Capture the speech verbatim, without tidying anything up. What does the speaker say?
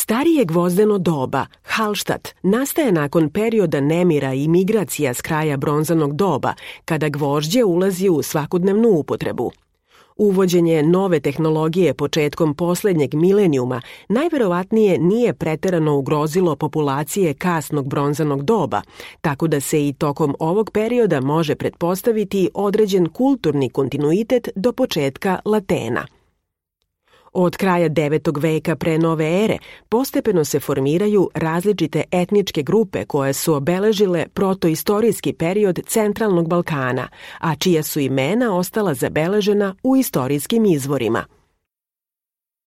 Starije gvozdeno doba, Hallstatt, nastaje nakon perioda nemira i migracija s kraja bronzanog doba, kada gvožđe ulazi u svakodnevnu upotrebu. Uvođenje nove tehnologije početkom poslednjeg milenijuma najverovatnije nije preterano ugrozilo populacije kasnog bronzanog doba, tako da se i tokom ovog perioda može pretpostaviti određen kulturni kontinuitet do početka Latena. Od kraja devetog veka pre nove ere postepeno se formiraju različite etničke grupe koje su obeležile protoistorijski period centralnog Balkana, a čija su imena ostala zabeležena u istorijskim izvorima.